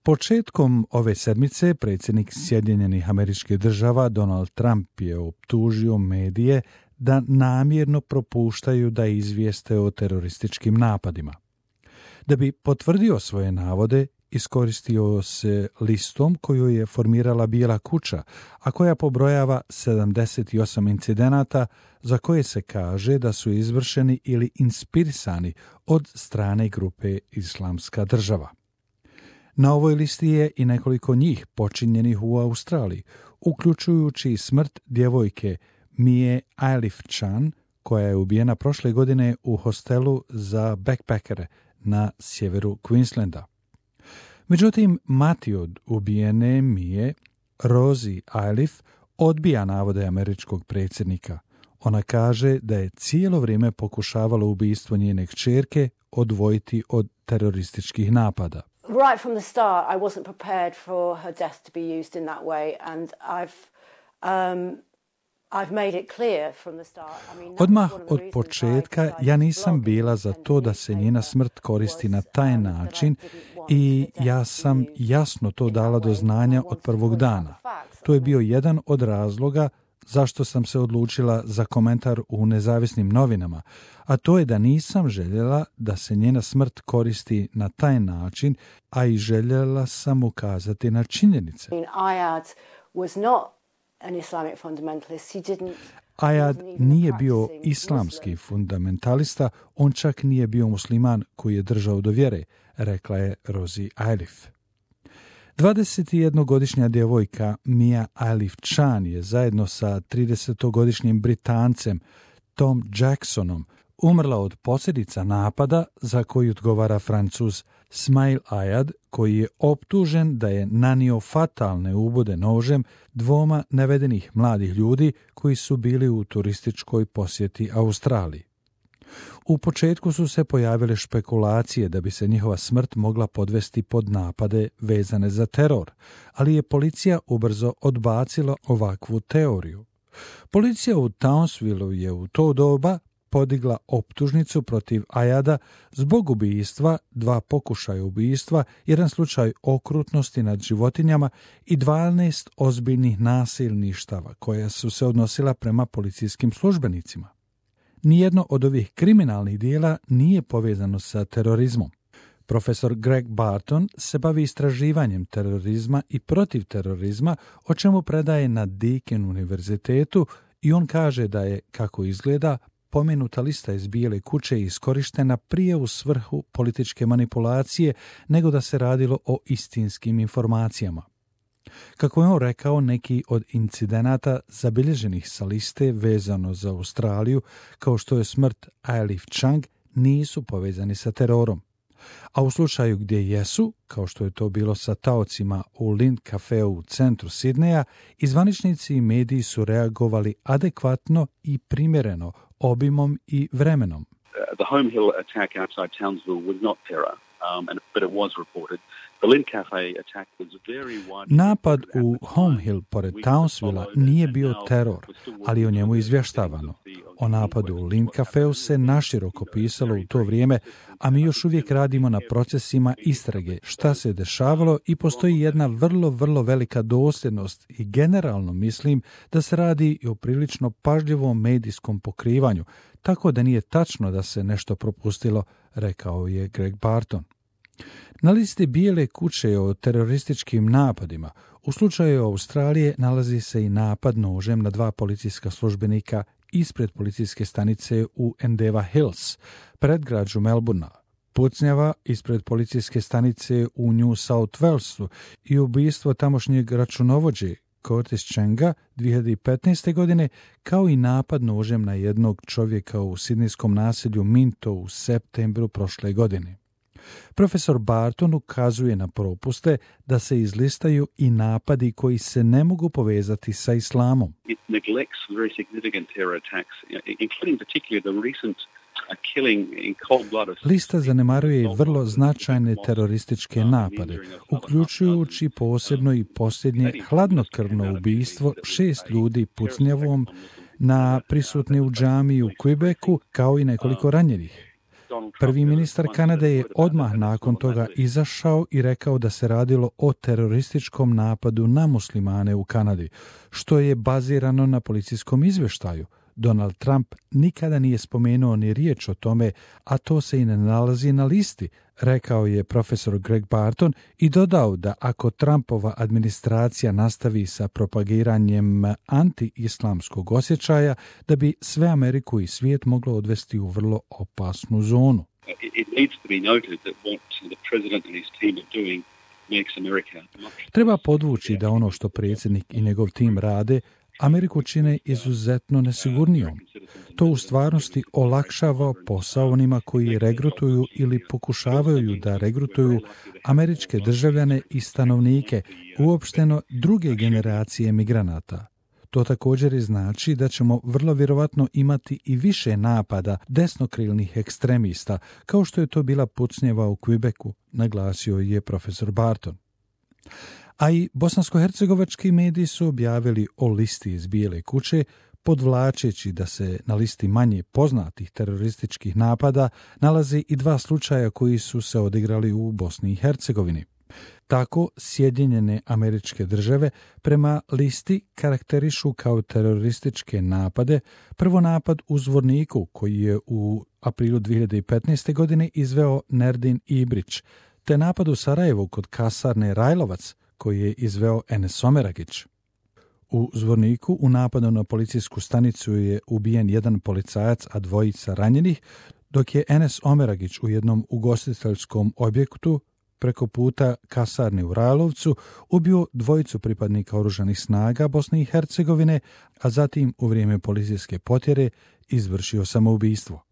Početkom ove sedmice predsjednik Sjedinjenih Američkih Država Donald Trump je optužio medije da namjerno propuštaju da izvijeste o terorističkim napadima. Da bi potvrdio svoje navode, iskoristio se listom koju je formirala Bijela kuća, a koja pobrojava 78 incidenata za koje se kaže da su izvršeni ili inspirisani od strane grupe Islamska država. Na ovoj listi je i nekoliko njih počinjenih u Australiji, uključujući smrt djevojke Mie Ailif Chan, koja je ubijena prošle godine u hostelu za backpackere na sjeveru Queenslanda. Međutim, mati od ubijene Mie, Rosie Ailif, odbija navode američkog predsjednika. Ona kaže da je cijelo vrijeme pokušavala ubistvo njene kćerke odvojiti od terorističkih napada. Right from the start, I wasn't prepared for her death to be used in that way, and I've made it clear from the start. Odmah od početka ja nisam bila za to da se njena smrt koristi na taj način i ja sam jasno to dala do znanja od prvog dana. To je bio jedan od razloga zašto sam se odlučila za komentar u nezavisnim novinama, a to je da nisam željela da se njena smrt koristi na taj način, a i željela sam ukazati na činjenice. Ayad nije bio islamski fundamentalista, on čak nije bio musliman koji je držao do vjere, rekla je Rosie Ailif. 21-godišnja djevojka Mia Ailif Chan je zajedno sa 30-godišnjim Britancem Tom Jacksonom umrla od posljedica napada za koji odgovara Francuz Smail Ayad, koji je optužen da je nanio fatalne ubode nožem dvoma navedenih mladih ljudi koji su bili u turističkoj posjeti Australiji. U početku su se pojavile špekulacije da bi se njihova smrt mogla podvesti pod napade vezane za teror, ali je policija ubrzo odbacila ovakvu teoriju. Policija u Townsvilleu je u to doba podigla optužnicu protiv Ayada zbog ubijstva, 2 pokušaja ubijstva, 1 slučaj okrutnosti nad životinjama i 12 ozbiljnih nasilništava koja su se odnosila prema policijskim službenicima. Nijedno od ovih kriminalnih dijela nije povezano sa terorizmom. Profesor Greg Barton se bavi istraživanjem terorizma i protiv terorizma, o čemu predaje na Deakin univerzitetu, i on kaže da je, kako izgleda, pomenuta lista iz Bijele kuće iskorištena prije u svrhu političke manipulacije nego da se radilo o istinskim informacijama. Kako je on rekao, neki od incidenata zabilježenih sa liste vezano za Australiju, kao što je smrt Ailif Chang, nisu povezani sa terorom. A u slučaju gdje jesu, kao što je to bilo sa taocima u Lind Cafeu u centru Sidneja, i zvaničnici i mediji su reagovali adekvatno i primjereno obimom i vremenom. The Home Hill attack outside Townsville was not terror, but it was reported. Napad u Home Hill pored Townsvilla nije bio teror, ali o njemu izvještavano. O napadu u Lind Cafeu se naširoko pisalo u to vrijeme, a mi još uvijek radimo na procesima istrage šta se dešavalo i postoji jedna vrlo velika dosljednost i generalno mislim da se radi i o prilično pažljivom medijskom pokrivanju, tako da nije tačno da se nešto propustilo, rekao je Greg Barton. Na listi Bijele kuće o terorističkim napadima u slučaju Australije nalazi se i napad nožem na 2 policijska službenika ispred policijske stanice u Endeavour Hills, predgrađu Melbournea, pucnjava ispred policijske stanice u New South Walesu i ubojstvo tamošnjeg računovođe Curtis Changa 2015. godine, kao i napad nožem na jednog čovjeka u sidnejskom naselju Minto u septembru prošle godine. Profesor Barton ukazuje na propuste da se izlistaju i napadi koji se ne mogu povezati sa islamom. It neglects very significant terror attacks, including particularly the recent Lista zanemaruje i vrlo značajne terorističke napade, uključujući posebno i posljednje hladnokrvno ubijstvo 6 ljudi pucnjavom na prisutni u džamiji u Quebecu, kao i nekoliko ranjenih. Prvi ministar Kanade je odmah nakon toga izašao i rekao da se radilo o terorističkom napadu na muslimane u Kanadi, što je bazirano na policijskom izvještaju. Donald Trump nikada nije spomenuo ni riječ o tome, a to se i ne nalazi na listi, rekao je profesor Greg Barton i dodao da ako Trumpova administracija nastavi sa propagiranjem anti-islamskog osjećaja, da bi sve Ameriku i svijet moglo odvesti u vrlo opasnu zonu. Treba podvući da ono što predsjednik i njegov tim rade Ameriku čine izuzetno nesigurnijom. To u stvarnosti olakšava posao onima koji regrutuju ili pokušavaju da regrutuju američke državljane i stanovnike, uopšteno druge generacije migranata. To također i znači da ćemo vrlo vjerovatno imati i više napada desnokrilnih ekstremista, kao što je to bila pucnjeva u Quebecu, naglasio je profesor Barton. A i bosansko-hercegovački mediji su objavili o listi iz Bijele kuće, podvlačeći da se na listi manje poznatih terorističkih napada nalaze i 2 slučaja koji su se odigrali u Bosni i Hercegovini. Tako, Sjedinjene Američke Države prema listi karakterišu kao terorističke napade prvo napad u Zvorniku koji je u aprilu 2015. godine izveo Nerdin Ibrić, te napad u Sarajevu kod kasarne Rajlovac koji je izveo Enes Omeragić. U Zvorniku u napadu na policijsku stanicu je ubijen jedan policajac, a 2 ranjenih, dok je Enes Omeragić u jednom ugostiteljskom objektu preko puta kasarne u Rajlovcu ubio 2 pripadnika oružanih snaga Bosne i Hercegovine, a zatim u vrijeme policijske potjere izvršio samoubistvo.